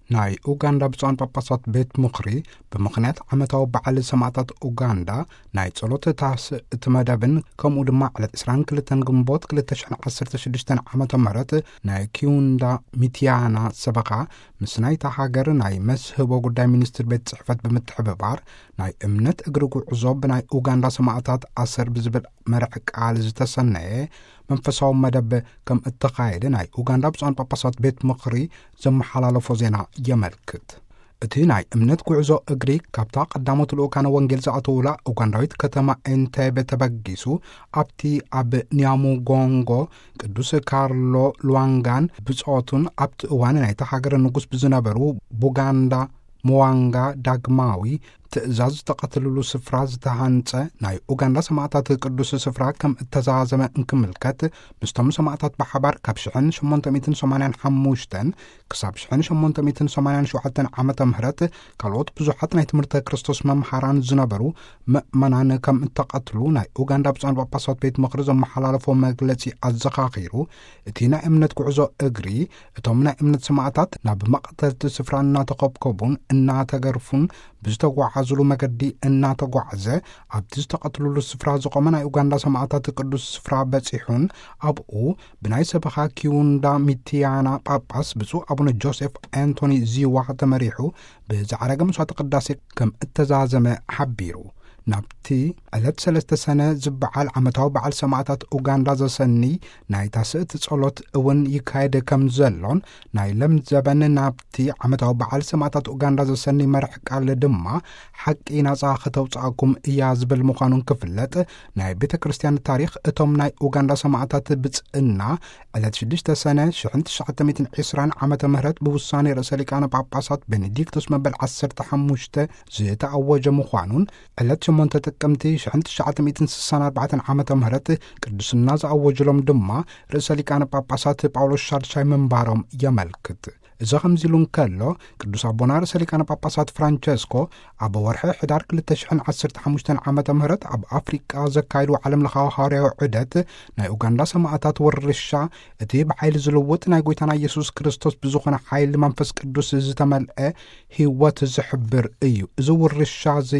ናይ ኡጋንዳ ብፁዓን ጳጳሳት ቤት ምኽሪ፣ ብምኽንያት ዓመታዊ በዓል ሰማዕታት ኡጋንዳ፣ ናይ ጸሎት ታስእቲ መደብን፣ ከምኡ ድማ ዕለት ዕስራን ክልተን ግንቦት ክልተ ሽሕን ዓሰርተ ሽዱሽተን ዓመተ ምህረት ናይ ኪዩንዳ ሚትያና ሰበኻ፣ ምስ ናይታ ሃገር ናይ መስህቦ ጉዳይ ሚኒስትር ቤት ጽሕፈት ብምትሕብባር፣ ናይ እምነት እግሪ ጉዕዞ ብናይ ኡጋንዳ ሰማዕታት ኣሰር ብዝብል መርሕ ቃል ዝተሰነየ መንፈሳዊ መደብ ከም እተኻየደ ናይ ኡጋንዳ ብፁዓን ጳጳሳት ቤት ምኽሪ ዘመሓላለፎ ዜና የመልክት። እቲ ናይ እምነት ጉዕዞ እግሪ ካብታ ቀዳሞት ልኡካነ ወንጌል ዝኣተውላ ኡጋንዳዊት ከተማ ኤንቴቤ ተበጊሱ፣ ኣብቲ ኣብ ኒያሙጎንጎ ቅዱስ ካርሎ ሉዋንጋን ብጾቱን ኣብቲ እዋን ናይታ ሃገር ንጉስ ብዝነበሩ ቡጋንዳ መዋንጋ ዳግማዊ ትእዛዝ ዝተቐትልሉ ስፍራ ዝተሃንጸ ናይ ኡጋንዳ ሰማዕታት ቅዱስ ስፍራ ከም እተዛዘመ እንክምልከት፣ ምስቶም ሰማዕታት ብሓባር ካብ ሽሕን ሸሞንተ ሚእትን ሰማንያን ሓሙሽተን ክሳብ ሽሕን ሸሞንተ ሚእትን ሰማንያን ሸውዓተን ዓመተ ምህረት ካልኦት ብዙሓት ናይ ትምህርተ ክርስቶስ መምሃራን ዝነበሩ ምእመናን ከም እተቐትሉ ናይ ኡጋንዳ ብፁዓን ጳጳሳት ቤት ምኽሪ ዘመሓላለፎ መግለጺ ኣዘኻኺሩ፣ እቲ ናይ እምነት ጉዕዞ እግሪ፣ እቶም ናይ እምነት ሰማዕታት ናብ መቐተልቲ ስፍራ እናተኸብከቡን እናተገርፉን ብዝተጓዓዙሉ መገዲ እናተጓዕዘ፣ ኣብቲ ዝተቐትሉሉ ስፍራ ዝቖመ ናይ ኡጋንዳ ሰማዕታት ቅዱስ ስፍራ በጺሑን፣ ኣብኡ ብናይ ሰበኻ ኪዩንዳ ሚትያና ጳጳስ ብፁዕ ኣቡነ ጆሴፍ ኣንቶኒ ዚዋ ተመሪሑ ብዝዓረገ መስዋዕተ ቅዳሴ ከም እተዛዘመ ሓቢሩ። ናብቲ ዕለት ሰለስተ ሰነ ዝበዓል ዓመታዊ በዓል ሰማዕታት ኡጋንዳ ዘሰኒ ናይ ታስእቲ ጸሎት እውን ይካየድ ከም ዘሎን፣ ናይ ለምዘበን ናብቲ ዓመታዊ በዓል ሰማዕታት ኡጋንዳ ዘሰኒ መርሕ ቃል ድማ ሓቂ ናጻ ከተውጽኣኩም እያ ዝብል ምዃኑን ክፍለጥ፣ ናይ ቤተ ክርስቲያን ታሪኽ እቶም ናይ ኡጋንዳ ሰማዕታት ብጽእና ዕለት ሽዱሽተ ሰነ ሽሕን ትሽዓተ ሚእትን ዕስራን ዓመተ ምህረት ብውሳኔ ርእሰ ሊቃነ ጳጳሳት ቤኔዲክቶስ መበል ዓሰርተ ሓሙሽተ ዝተኣወጀ ምዃኑን፣ ዕለት ሸሞንተ ጥቅምቲ ሽሕን ትሽዓተ ሚእትን ስሳን ኣርባዕተን ዓመተ ምህረት ቅዱስና ዝኣወጅሎም ድማ ርእሰ ሊቃነ ጳጳሳት ጳውሎስ ሻድሻይ ምንባሮም የመልክት። እዚ ከምዚ ኢሉ እንከሎ፣ ቅዱስ ኣቦና ርእሰ ሊቃነ ጳጳሳት ፍራንቸስኮ ኣብ ወርሒ ሕዳር ክልተ ሽሕን ዓሰርተ ሓሙሽተን ዓመተ ምህረት ኣብ ኣፍሪቃ ዘካየዱ ዓለም ለኻዊ ሃዋርያዊ ዑደት፣ ናይ ኡጋንዳ ሰማዕታት ውርሻ፣ እቲ ብሓይሊ ዝልውጥ ናይ ጎይታና ኢየሱስ ክርስቶስ ብዝኾነ ሓይሊ መንፈስ ቅዱስ ዝተመልአ ህይወት ዝሕብር እዩ። እዚ ውርሻ እዚ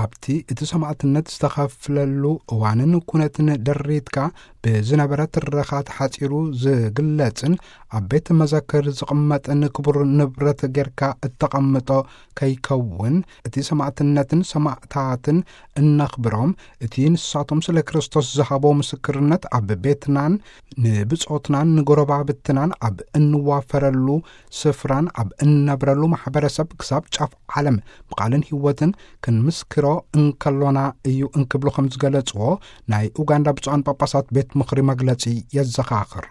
ኣብቲ እቲ ሰማዕትነት ዝተኸፍለሉ እዋንን ኩነትን ደሪትካ ብዝነበረ ትረኻ ተሓጺሩ ዝግለጽን ኣብ ቤት መዘክር ዝቕመጥን ክቡር ንብረት ጌርካ እተቐምጦ ከይከውን፣ እቲ ሰማዕትነትን ሰማዕታትን እነኽብሮም፣ እቲ ንሳቶም ስለ ክርስቶስ ዝሃቦ ምስክርነት ኣብ ቤትናን ንብጾትናን ንጎረባብትናን ኣብ እንዋፈረሉ ስፍራን ኣብ እንነብረሉ ማሕበረሰብ ክሳብ ጫፍ ዓለም ብቓልን ህይወትን ክንምስክሮ እንከሎና እዩ እንክብሉ ከም ዝገለጽዎ ናይ ኡጋንዳ ብፁዓን ጳጳሳት ቤት ምኽሪ መግለጺ የዘኻኽር።